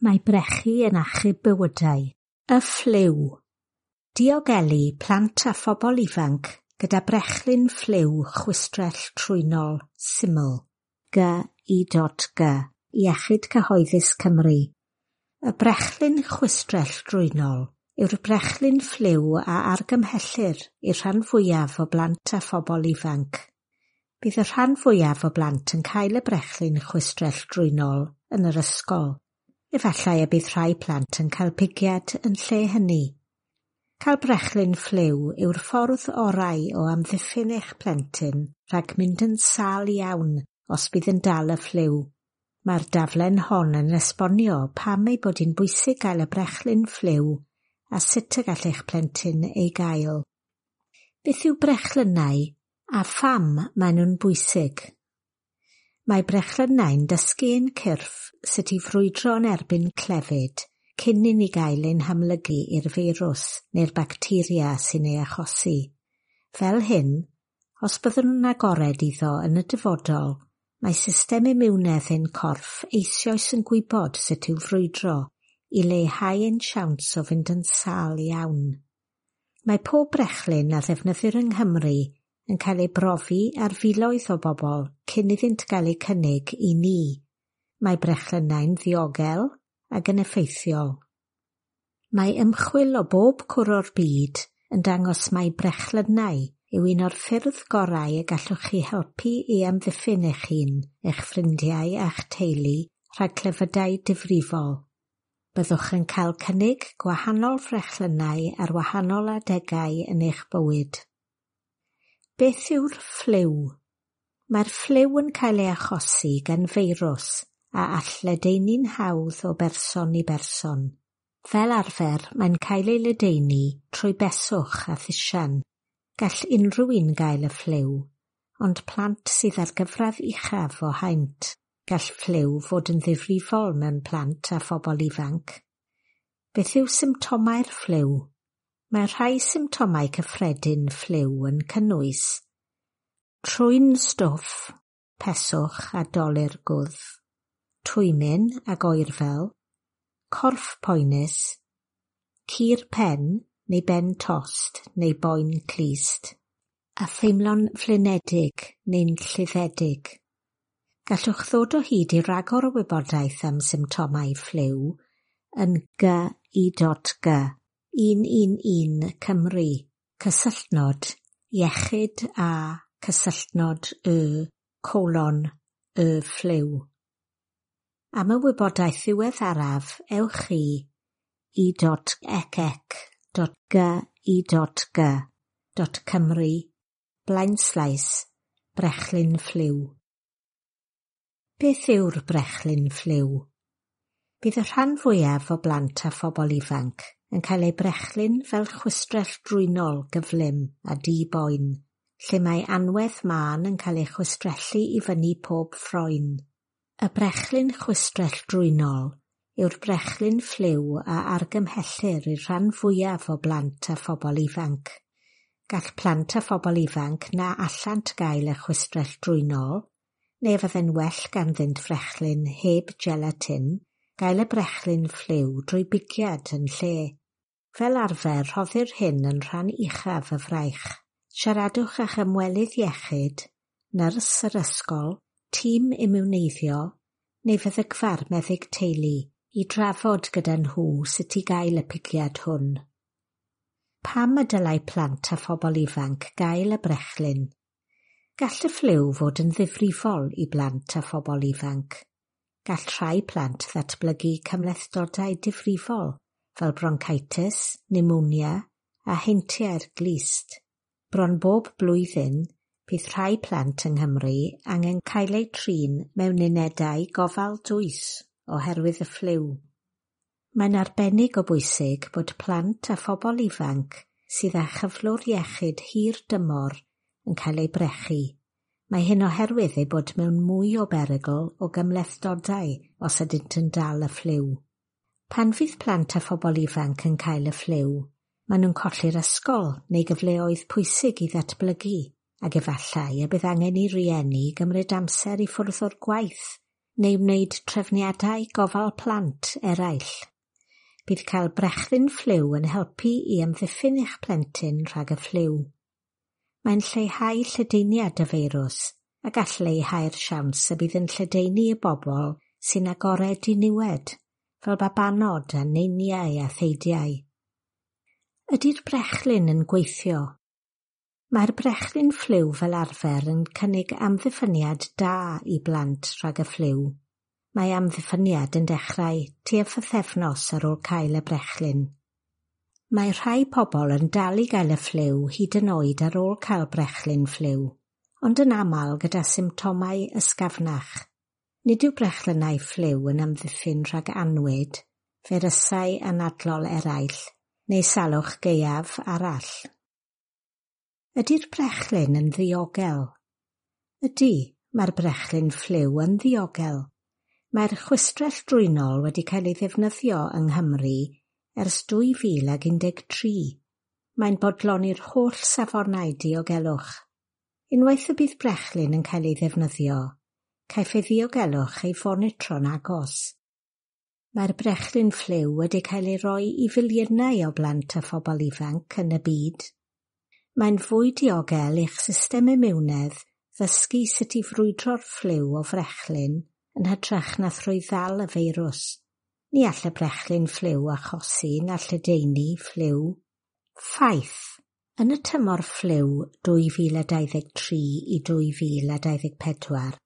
Mae brechu yn achub bywydau. Y ffliw. Diogelu plant a phobl ifanc gyda brechlyn ffliw chwistrell trwynol syml G I.G Iechyd Cyhoeddus Cymru. Y brechlyn chwistrell drwynol yw'r brechlyn ffliw a argymhellir i'r rhan fwyaf o blant a phobl ifanc. Bydd y rhan fwyaf o blant yn cael y brechlyn chwistrell drwynol yn yr ysgol. Efallai y bydd rhai plant yn cael pigiad yn lle hynny. Cael brechlyn ffliw yw'r ffordd orau o amddiffyn eich plentyn rhag mynd yn sâl iawn os bydd yn dal y ffliw. Mae'r daflen hon yn esbonio pam ei bod hi'n bwysig gael y brechlyn ffliw a sut y gall eich plentyn ei gael. Beth yw brechlynnau a pham maen nhw'n bwysig? Mae brechlynnau'n dysgu ein cyrff sut i frwydro yn erbyn clefyd cyn i ni gael ein hamlygu i'r feirws neu'r bacteria sy'n ei achosi. Fel hyn, os byddwn yn agored iddo yn y dyfodol, mae system imiwnedd ein corff eisoes yn gwybod sut i'w frwydro i leihau ein siawns o fynd yn sâl iawn. Mae pob brechlyn a ddefnyddir yng Nghymru yn cael ei brofi ar filoedd o bobl cyn iddynt gael eu cynnig i ni. Mae brechlynnau'n ddiogel ac yn effeithiol. Mae ymchwil o bob cwr o'r byd yn dangos mai brechlynnau yw un o'r ffyrdd gorau y gallwch chi helpu i amddiffyn eich hun, eich ffrindiau a'ch teulu rhag clefydau difrifol. Byddwch yn cael cynnig gwahanol frechlynnau ar wahanol adegau yn eich bywyd. Beth yw'r ffliw? Mae'r ffliw yn cael ei achosi gan feirws a all ledaenu'n hawdd o berson i berson. Fel arfer, mae'n cael ei ledaenu trwy beswch a thisian. Gall unrhyw un gael y ffliw, ond plant sydd ar gyfradd uchaf o haint. Gall ffliw fod yn ddifrifol mewn plant a phobl ifanc. Beth yw symptomau'r ffliw? Mae rhai symptomau cyffredin ffliw yn cynnwys trwyn stwff, peswch a dolur gwddf, twymyn ag oerfel, corff poenus, cur pen neu ben tost neu boen clust, a theimlo'n flinedig neu'n lluddedig. Gallwch ddod o hyd i ragor o wybodaeth am symptomau ffliw yn G I.G 111 Cymru, cysylltnod, iechyd a cysylltnod y, colon, y ffliw. Am y wybodaeth ddiweddaraf, ewch i i.ecc.gi.g.cymru blaenslaes brechlyn ffliw. Beth yw'r brechlyn ffliw? Bydd y rhan fwyaf o blant a phobl ifanc yn cael eu brechlyn fel chwistrell drwynol gyflym a di-boen, lle mae anwedd mân yn cael ei chwistrellu i fyny pob ffroen. Y brechlyn chwistrell drwynol yw'r brechlyn ffliw a argymhellir i'r rhan fwyaf o blant a phobl ifanc. Gall plant a phobl ifanc na allant gael y chwistrell drwynol, neu fydde'n well ganddynt frechlyn heb gelatin, gael y brechlyn ffliw drwy bigiad yn lle. Fel arfer, rhoddir hyn yn rhan uchaf y fraich. Siaradwch â'ch ymwelydd iechyd, nyrs yr ysgol, tîm imiwneiddio, neu feddygfa'r meddyg teulu i drafod gyda nhw sut i gael y pigiad hwn. Pam y dylai plant a phobl ifanc gael y brechlyn? Gall y ffliw fod yn ddifrifol i blant a phobl ifanc. Gall rhai plant ddatblygu cymhlethdodau difrifol fel bronchitis, pneumonia a heintiau'r glust. Bron bob blwyddyn, bydd rhai plant yng Nghymru angen cael eu trin mewn unedau gofal dwys oherwydd y ffliw. Mae'n arbennig o bwysig bod plant a phobl ifanc sydd â chyflwr iechyd hir dymor yn cael eu brechu. Mae hyn oherwydd eu bod mewn mwy o berygl o gymhlethdodau os ydynt yn dal y ffliw. Pan fydd plant a phobl ifanc yn cael y ffliw, maen nhw'n colli'r ysgol neu gyfleoedd pwysig i ddatblygu, ac efallai y bydd angen i rieni gymryd amser i ffwrdd o'r gwaith neu wneud trefniadau gofal plant eraill. Bydd cael brechlyn ffliw yn helpu i amddiffyn eich plentyn rhag y ffliw. Mae'n lleihau lledaeniad y feirws a gall leihau'r siawns y bydd yn lledaenu i bobl sy'n agored i niwed, fel babanod a neiniau a theidiau. Ydy'r brechlyn yn gweithio? Mae'r brechlyn ffliw fel arfer yn cynnig amddiffyniad da i blant rhag y ffliw. Mae amddiffyniad yn dechrau tua phythefnos ar ôl cael y brechlyn. Mae rhai pobl yn dal i gael y ffliw hyd yn oed ar ôl cael brechlyn ffliw, ond yn aml gyda symptomau ysgafnach. Nid yw brechlynnau ffliw yn amddiffyn rhag annwyd, feirysau anadlol eraill, neu salwch gaeaf arall. Ydy'r brechlyn yn ddiogel? Ydy, mae'r brechlyn ffliw yn ddiogel. Mae'r chwistrell drwynol wedi cael ei ddefnyddio yng Nghymru ers 2013. Mae'n bodloni'r holl safonau diogelwch. Unwaith y bydd brechlyn yn cael ei ddefnyddio, caiff ei ddiogelwch ei fonitro'n agos. Mae'r brechlyn ffliw wedi cael ei roi i filiynau o blant a phobl ifanc yn y byd. Mae'n fwy diogel i'ch system imiwnedd ddysgu sut i frwydro'r ffliw o frechlyn yn hytrach na thrwy ddal y feirws. Ni all y brechlyn ffliw achosi na lledaenu ffliw. Ffaith. Yn y tymor ffliw 2023 i 2024,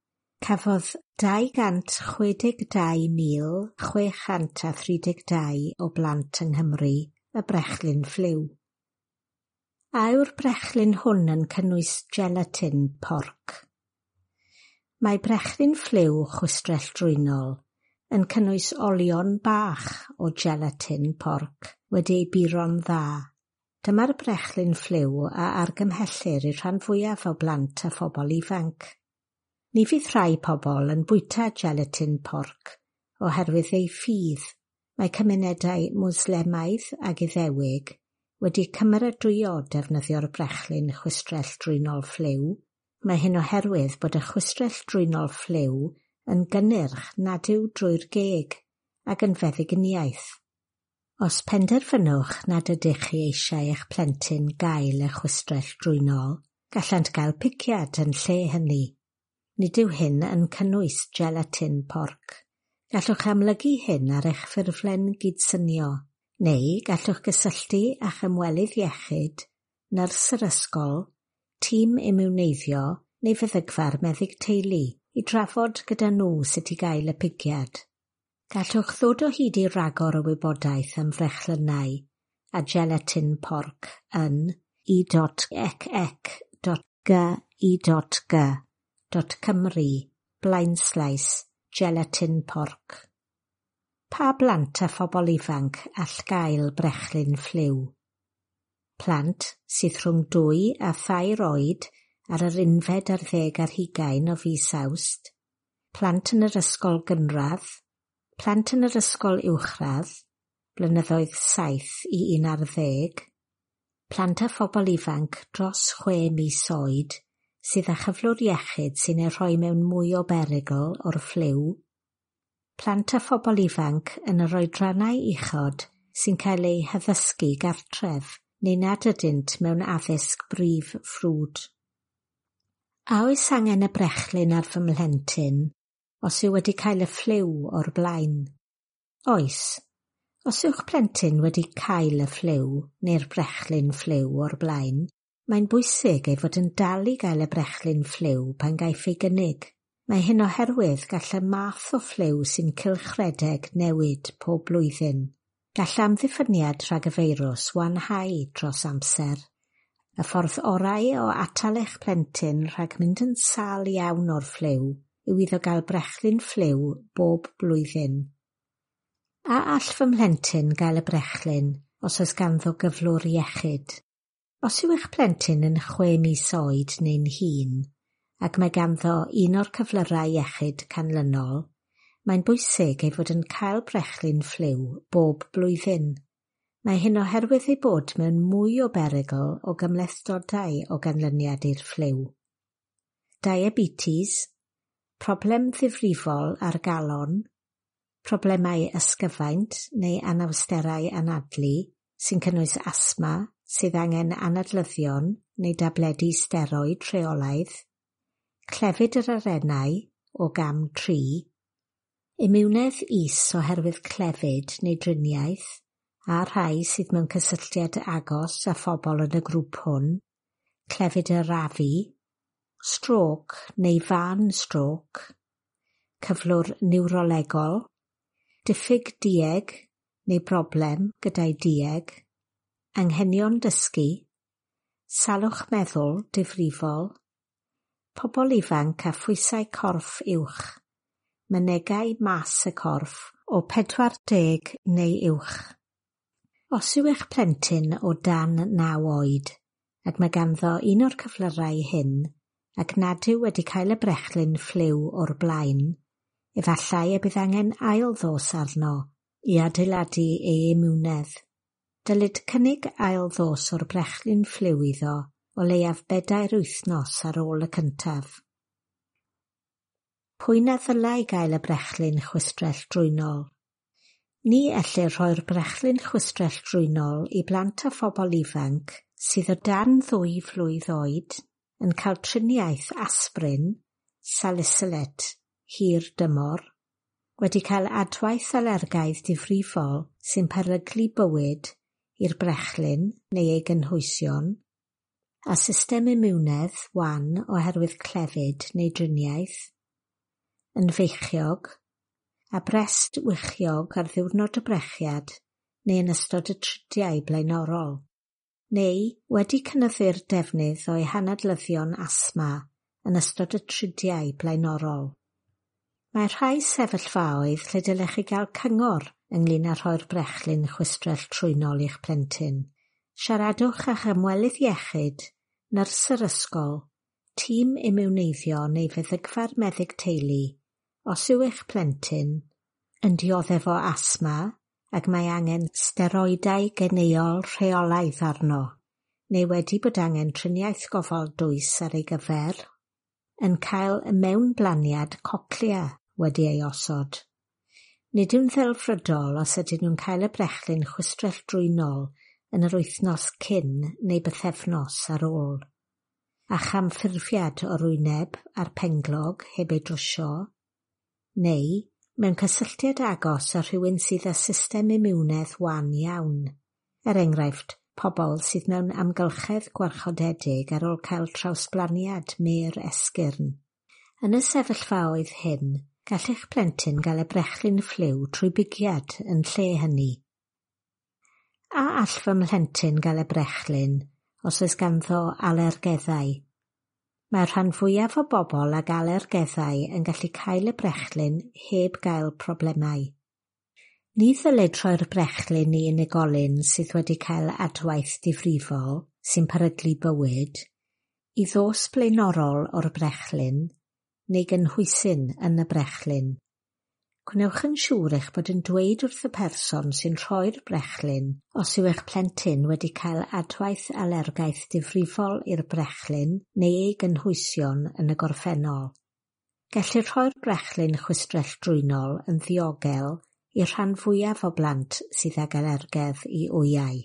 cafodd 262,632 o blant yng Nghymru y brechlyn ffliw. A yw'r brechlyn hwn yn cynnwys gelatin porc? Mae brechlyn ffliw chwistrell drwynol yn cynnwys olion bach o gelatin porc wedi ei buro'n dda. Dyma'r brechlyn ffliw a argymhellir i'r rhan fwyaf o blant a phobl ifanc. Ni fydd rhai pobl yn bwyta gelatin porc oherwydd eu ffydd. Mae cymunedau Mwslemaidd ac Iddewig wedi cymeradwyo defnyddio'r brechlyn chwistrell drwynol ffliw. Mae hyn oherwydd bod y chwistrell drwynol ffliw yn gynnyrch nad yw drwy'r geg ac yn feddyginiaeth. Os penderfynwch nad ydych chi eisiau eich plentyn gael y chwistrell drwynol, gallant gael piciad yn lle hynny. Nid yw hyn yn cynnwys gelatin porc. Gallwch amlygu hyn ar eich ffurflen gydsynio, neu gallwch gysylltu â'ch ymwelydd iechyd, nyrs yr ysgol, tîm imiwneiddio neu feddygfa'r meddyg teulu i drafod gyda nhw sut i gael y pigiad. Gallwch ddod o hyd i ragor o wybodaeth am frechlynnau a gelatin porc yn e.ec.gi.g.cymru blaenslaes gelatin porc. Pa blant a phobl ifanc all gael brechlyn ffliw? Plant sydd rhwng 2 a 3 oed ar yr 21 o fis Awst, plant yn yr ysgol gynradd, plant yn yr ysgol uwchradd, blynyddoedd 7 i 11, plant a phobl ifanc dros 6 mis oed sydd â chyflwr iechyd sy'n eu rhoi mewn mwy o berygl o'r ffliw, plant a phobl ifanc yn yr oedrannau uchod sy'n cael eu haddysgu gartref neu nad ydynt mewn addysg brif ffrwd. A oes angen y brechlyn ar fy mhlentyn os yw wedi cael y ffliw o'r blaen? Oes. Os yw'ch plentyn wedi cael y ffliw neu'r brechlyn ffliw o'r blaen, mae'n bwysig ei fod yn dal i gael y brechlyn ffliw pan gaiff ei gynnig. Mae hyn oherwydd gall y math o ffliw sy'n cylchredeg newid pob blwyddyn. Gall amddiffyniad rhag y feirws wanhau dros amser. Y ffordd orau o atal eich plentyn rhag mynd yn sâl iawn o'r ffliw yw iddo gael brechlyn ffliw bob blwyddyn. A all fy mhlentyn gael y brechlyn os oes ganddo gyflwr iechyd? Os yw eich plentyn yn 6 mis oed neu'n hŷn, ac mae ganddo un o'r cyflyrau iechyd canlynol, mae'n bwysig ei fod yn cael brechlyn ffliw bob blwyddyn. Mae hyn oherwydd ei bod mewn mwy o berygl o gymhlethdodau o ganlyniad i'r ffliw. Diabetes, Problem ddifrifol ar galon, problemau ysgyfaint neu anawsterau anadlu sy'n cynnwys asthma sydd angen anadlyddion neu dabledi steroid rheolaidd, clefyd yr arennau o gam 3, imiwnedd is oherwydd clefyd neu driniaeth, a rhai sydd mewn cysylltiad agos â phobl yn y grŵp hwn, clefyd yr afu, strôc neu fân strôc, cyflwr niwrolegol, diffyg dueg neu broblem gyda'i dueg, anghenion dysgu, salwch meddwl difrifol, pobl ifanc â phwysau corff uwch, mynegai mas y corff o 40 neu uwch. Os yw eich plentyn o dan 9 oed ac mae ganddo un o'r cyflyrau hyn ac nad yw wedi cael y brechlyn ffliw o'r blaen, efallai y bydd angen ail ddos arno i adeiladu ei imiwnedd. Dylid cynnig ail ddos o'r brechlyn ffliw iddo o leiaf 4 wythnos ar ôl y cyntaf. Pwy na ddylai gael y brechlyn chwistrell drwynol? Ni ellir rhoi'r brechlyn chwistrell drwynol i blant a phobl ifanc sydd o dan 2 flwydd oed yn cael triniaeth aspirin, salicylate, hir dymor, wedi cael adwaith alergaidd difrifol sy'n peryglu bywyd i'r brechlyn neu ei gynhwysion, a system imiwnedd wan oherwydd clefyd neu driniaeth, yn feichiog, a brest wichiog ar ddiwrnod y brechiad neu yn ystod y tridiau blaenorol, neu wedi cynyddu'r defnydd o'i hanadlyddion asthma yn ystod y tridiau blaenorol. Mae rhai sefyllfaoedd lle dylech chi gael cyngor ynglŷn â rhoi'r brechlyn chwistrell trwynol i'ch plentyn. Siaradwch â'ch ymwelydd iechyd, nyrs yr ysgol, tîm imiwneiddio neu feddygfa'r meddyg teulu os yw eich plentyn yn dioddef o asthma ac mae angen steroidau geneuol rheolaidd arno, neu wedi bod angen triniaeth gofal dwys ar ei gyfer, yn cael mewnblaniad cochlea wedi ei osod. Nid yw'n ddelfrydol os ydyn nhw'n cael y brechlyn chwistrell drwynol yn yr wythnos cyn neu bythefnos ar ôl, a chamffurfiad o'r wyneb a'r penglog heb ei drwsio, neu mewn cysylltiad agos â rhywun sydd â system imiwnedd wan iawn, er enghraifft pobl sydd mewn amgylchedd gwarchodedig ar ôl cael trawsblaniad mêr esgyrn. Yn y sefyllfaoedd hyn, gall eich plentyn gael y brechlyn ffliw trwy bigiad yn lle hynny. A all fy mhlentyn gael y brechlyn os oes ganddo alergeddau? Mae'r rhan fwyaf o bobl ag alergeddau yn gallu cael y brechlyn heb gael problemau. Ni ddylid rhoi'r brechlyn i unigolyn sydd wedi cael adwaith difrifol sy'n peryglu bywyd, i ddos blaenorol o'r brechlyn neu gynhwysyn yn y brechlyn. Gwnewch yn siŵr eich bod yn dweud wrth y person sy'n rhoi'r brechlyn os yw eich plentyn wedi cael adwaith alergaeth difrifol i'r brechlyn neu ei gynhwysion yn y gorffennol. Gellir rhoi'r brechlyn chwistrell drwynol yn ddiogel i'r rhan fwyaf o blant sydd ag alergedd i wyau.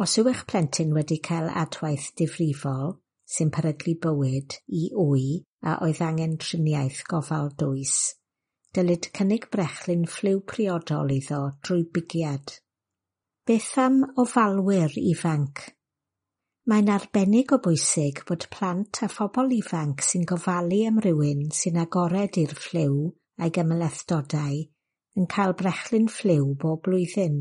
Os yw eich plentyn wedi cael adwaith difrifol sy'n peryglu bywyd i wy a oedd angen triniaeth gofal dwys, dylid cynnig brechlyn ffliw priodol iddo drwy bigiad. Beth am ofalwyr ifanc? Mae'n arbennig o bwysig bod plant a phobl ifanc sy'n gofalu am rywun sy'n agored i'r ffliw a'i gymhlethdodau yn cael brechlyn ffliw bob blwyddyn.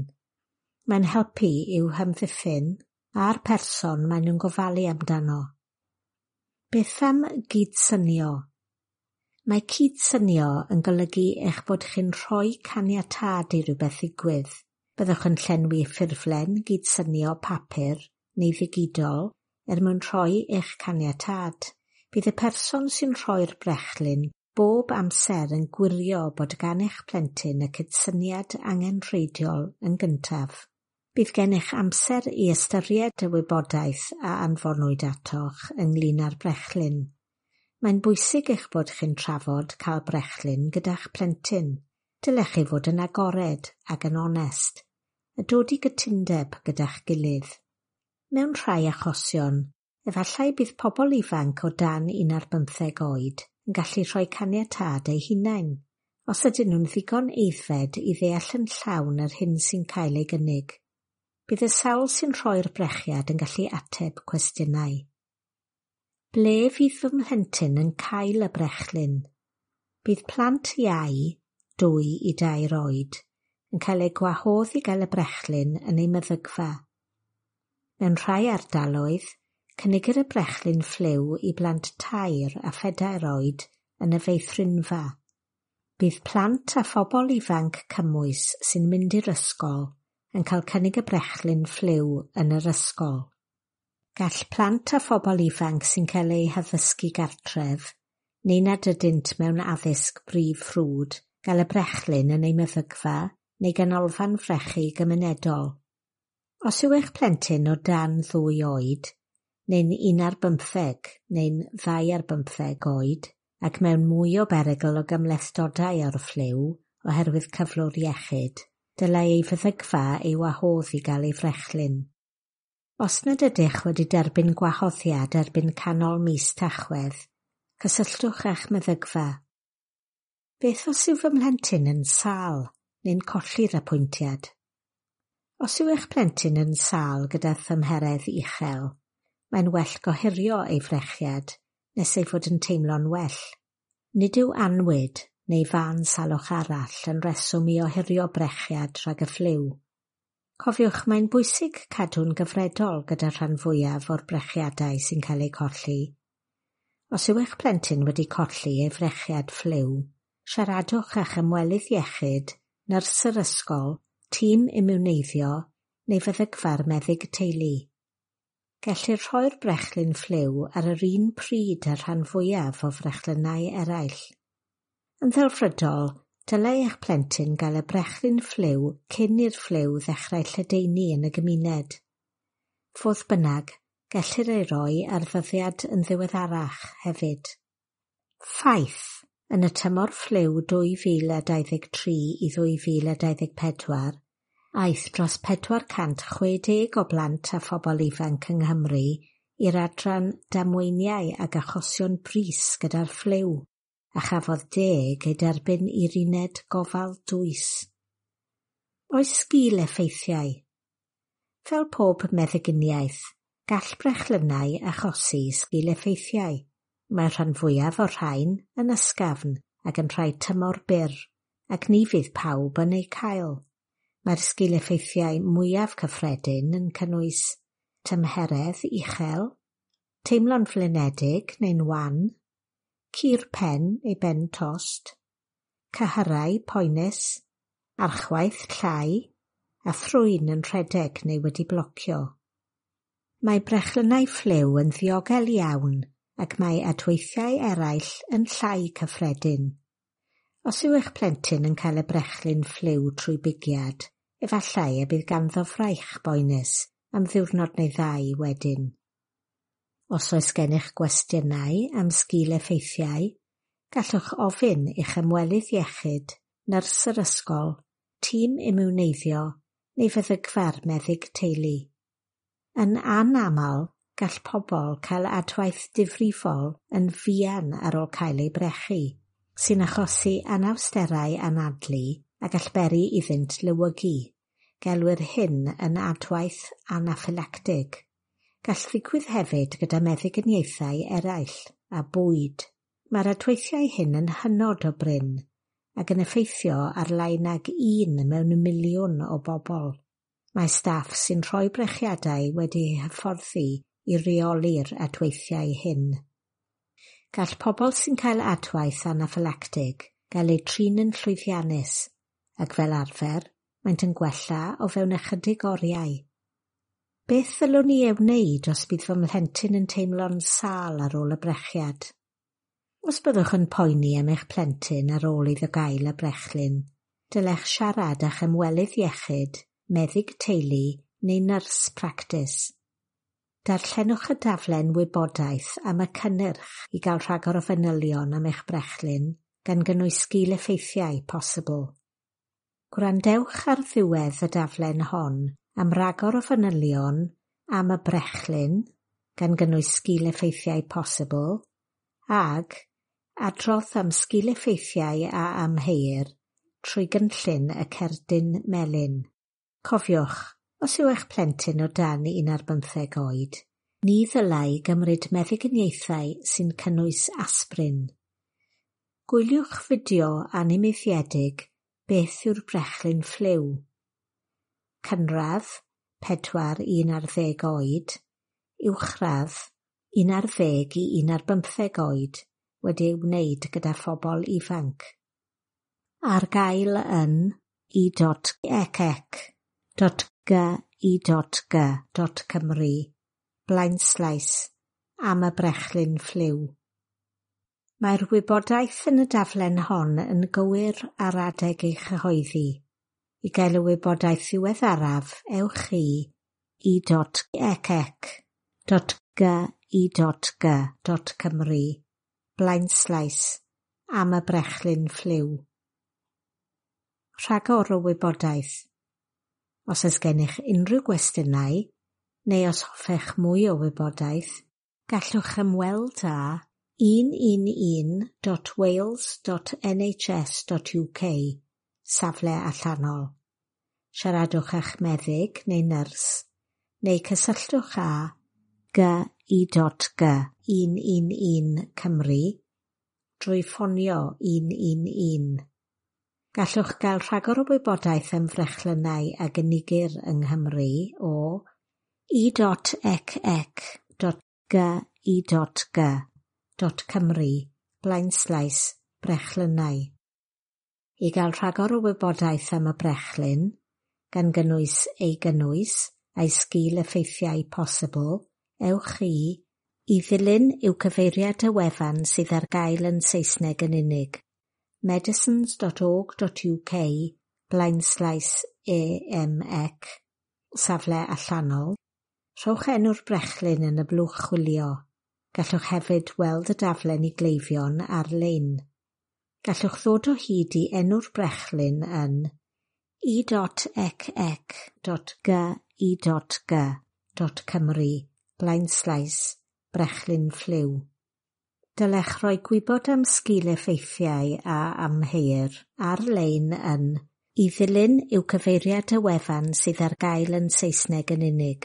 Mae'n helpu i'w hamddiffyn a'r person maen nhw'n gofalu amdano. Beth am gydsynio? Mae cydsynio yn golygu eich bod chi'n rhoi caniatâd i rywbeth ddigwydd. Byddwch yn llenwi ffurflen gydsynio papur neu ddigidol er mwyn rhoi eich caniatâd. Bydd y person sy'n rhoi'r brechlyn bob amser yn gwirio bod gan eich plentyn y cydsyniad angenrheidiol yn gyntaf. Bydd gennych amser i ystyried y wybodaeth a anfonwyd atoch ynglŷn â'r brechlyn. Mae'n bwysig eich bod chi'n trafod cael brechlyn gyda'ch plentyn. Dylech chi fod yn agored ac yn onest, a dod i gytundeb gyda'ch gilydd. Mewn rhai achosion, efallai bydd pobl ifanc o dan 15 oed yn gallu rhoi caniatâd eu hunain, os ydyn nhw'n ddigon aeddfed i ddeall yn llawn yr hyn sy'n cael ei gynnig. Bydd y sawl sy'n rhoi'r brechiad yn gallu ateb cwestiynau. Ble fydd fy mhlentyn yn cael y brechlyn? Bydd plant iau, 2 i 3 oed, yn cael eu gwahodd i gael y brechlyn yn eu meddygfa. Mewn rhai ardaloedd, cynigir y brechlyn ffliw i blant 3 a 4 oed yn y feithrinfa. Bydd plant a phobl ifanc cymwys sy'n mynd i'r ysgol yn cael cynnig y brechlyn ffliw yn yr ysgol. Gall plant a phobl ifanc sy'n cael eu haddysgu gartref, neu nad ydynt mewn addysg brif ffrwd, gael y brechlyn yn eu meddygfa neu ganolfan frechu gymunedol. Os yw eich plentyn o dan 2 oed, neu'n 11 neu'n 12 oed, ac mewn mwy o berygl o gymhlethdodau o'r ffliw oherwydd cyflwr iechyd, dylai ei feddygfa ei wahodd i gael ei frechlyn. Os nad ydych wedi derbyn gwahoddiad erbyn canol mis Tachwedd, cysylltwch â'ch meddygfa. Beth os yw fy mhlentyn yn sâl neu'n colli'r apwyntiad? Os yw eich plentyn yn sâl gyda thymheredd uchel, mae'n well gohirio ei frechiad nes ei fod yn teimlo'n well. Nid yw annwyd neu fân salwch arall yn reswm i ohirio brechiad rhag y ffliw. Cofiwch, mae'n bwysig cadw'n gyfredol gyda'r rhan fwyaf o'r brechiadau sy'n cael eu colli. Os yw eich plentyn wedi colli ei frechiad ffliw, siaradwch â'ch ymwelydd iechyd, nyrs yr ysgol, tîm imiwneiddio neu feddygfa'r meddyg teulu. Gellir rhoi'r brechlyn ffliw ar yr un pryd â'r rhan fwyaf o frechlynnau eraill. Yn ddelfrydol, dylai eich plentyn gael y brechlyn ffliw cyn i'r ffliw ddechrau lledaenu yn y gymuned. Fodd bynnag, gellir ei roi ar ddyddiad yn ddiweddarach hefyd. Ffaith, yn y tymor ffliw 2023 i 2024, aeth dros 460 o blant a phobl ifanc yng Nghymru i'r adran damweiniau ag achosion brys gyda'r ffliw, a chafodd 10 eu derbyn i'r uned gofal dwys. Oes sgil effeithiau? Fel pob meddyginiaeth, gall brechlynnau achosi sgil effeithiau. Mae'r rhan fwyaf o'r rhain yn ysgafn ac yn rhai tymor byr, ac ni fydd pawb yn eu cael. Mae'r sgil effeithiau mwyaf cyffredin yn cynnwys tymheredd uchel, teimlo'n flinedig neu'n wan, cur pen neu ben tost, cyhyrau poenus, archwaeth llai, a thrwyn yn rhedeg neu wedi blocio. Mae brechlynnau ffliw yn ddiogel iawn ac mae adweithiau eraill yn llai cyffredin. Os yw eich plentyn yn cael y brechlyn ffliw trwy bigiad, efallai y bydd ganddo fraich boenus am ddiwrnod neu ddau wedyn. Os oes gennych gwestiynau am sgil effeithiau, gallwch ofyn i'ch ymwelydd iechyd, nyrs yr ysgol, tîm imiwneiddio neu feddygfa'r meddyg teulu. Yn anaml, gall pobl cael adwaith difrifol yn fuan ar ôl cael eu brechu, sy'n achosi anawsterau anadlu a gall beri iddynt lewygu. Gelwir hyn yn adwaith anaffylactig. Gall ddigwydd hefyd gyda meddyginiaethau eraill a bwyd. Mae'r adweithiau hyn yn hynod o brin ac yn effeithio ar lai nag un mewn miliwn o bobl. Mae staff sy'n rhoi brechiadau wedi'u hyfforddi i reoli'r adweithiau hyn. Gall pobl sy'n cael adwaith anaffylactig gael eu trin yn llwyddiannus ac fel arfer maent yn gwella o fewn ychydig oriau. Beth ddylwn i ei wneud os bydd fy mhlentyn yn teimlo'n sâl ar ôl y brechiad? Os byddwch yn poeni am eich plentyn ar ôl iddo gael y brechlyn, dylech siarad â'ch ymwelydd iechyd, meddyg teulu neu nyrs practis. Darllenwch y daflen wybodaeth am y cynnyrch i gael rhagor o fanylion am eich brechlyn, gan gynnwys sgil-effeithiau posibl. Gwrandewch ar ddiwedd y daflen hon am ragor o fanylion am y brechlyn, gan gynnwys sgil-effeithiau posibl, ag adrodd am sgil-effeithiau a amheuir trwy gynllun y cerdyn melyn. Cofiwch, os yw eich plentyn o dan 15 oed, ni ddylai gymryd meddyginiaethau sy'n cynnwys aspirin. Gwyliwch fideo animeiddiedig Beth yw'r brechlyn ffliw? Cynradd, 4 i 11 oed, uwchradd, 11 i 15 oed, wedi ei wneud gyda phobl ifanc. Ar gael yn e.ecc.gi.g.cymru blaenslaes am y brechlyn ffliw. Mae'r wybodaeth yn y daflen hon yn gywir ar adeg ei chyhoeddi. I gael y wybodaeth ddiweddaraf, ewch i e.ecc.gi.g.cymru blaenslaes am y brechlyn ffliw. Rhagor o wybodaeth. Os oes gennych unrhyw gwestiynau, neu os hoffech mwy o wybodaeth, gallwch ymweld â 111.wales.nhs.uk, safle allanol. Siaradwch â'ch meddyg neu nyrs, neu cysylltwch â gi.g 111 Cymru drwy ffonio 111. Gallwch gael rhagor o wybodaeth am frechlynnau a gynigir yng Nghymru o e.ecc.gi.g.cymru blaenslaes brechlynnau. I gael rhagor o wybodaeth am y brechlyn, gan gynnwys ei gynnwys a'i sgil-effeithiau posibl, ewch i ddilyn yw cyfeiriad y wefan sydd ar gael yn Saesneg yn unig: medicines.org.uk blaenslaes EMEC, safle allanol. Rhowch enw'r brechlyn yn y blwch chwilio. Gallwch hefyd weld y daflen i gleifion ar-lein. Gallwch ddod o hyd i enw'r brechlyn yn e.ecc.gi.g.cymru blaenslaes brechlyn ffliw. Dylech roi gwybod am sgil-effeithiau a amheuir ar-lein yn i ddilyn yw cyfeiriad y wefan sydd ar gael yn Saesneg yn unig: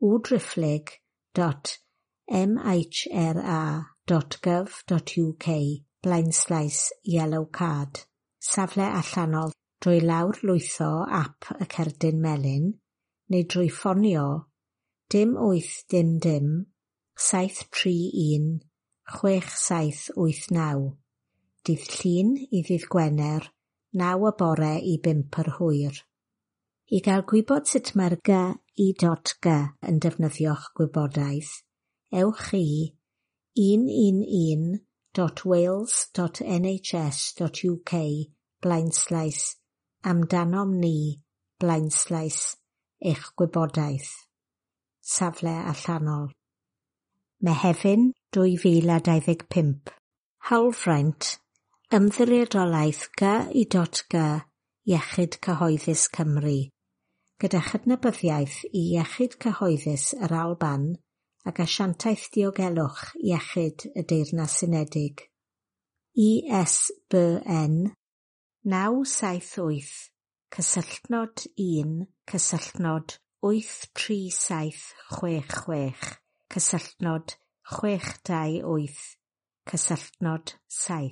www.mhra.gov.uk blaenslaes yellow card, safle allanol drwy lawrlwytho ap y cerdyn melyn, neu drwy ffonio 0 8 dim dim 731 6789, dydd Llun i ddydd Gwener, 9 y bore i 5 yr hwyr. I gael gwybod sut mae'r gi.g yn defnyddio'ch gwybodaeth, ewch i 111.wales.nhs.uk blaenslaes amdanom ni blaenslaes eich gwybodaeth. Safle allanol. Mehefin 2025. Hawlfraint, Ymddiriedolaeth gi.g Iechyd Cyhoeddus Cymru, gyda chydnabyddiaeth i Iechyd Cyhoeddus yr Alban ac Asiantaeth Diogelwch Iechyd y Deyrnas Unedig. ISBN 978 cysylltnod 1 cysylltnod 83766 cysylltnod 628 cysylltnod 7.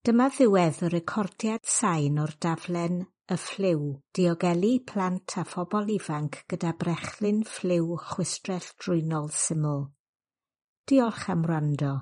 Dyma ddiwedd y recordiad sain o'r daflen Y Ffliw, diogelu plant a phobl ifanc gyda brechlyn ffliw chwistrell drwynol syml. Diolch am wrando.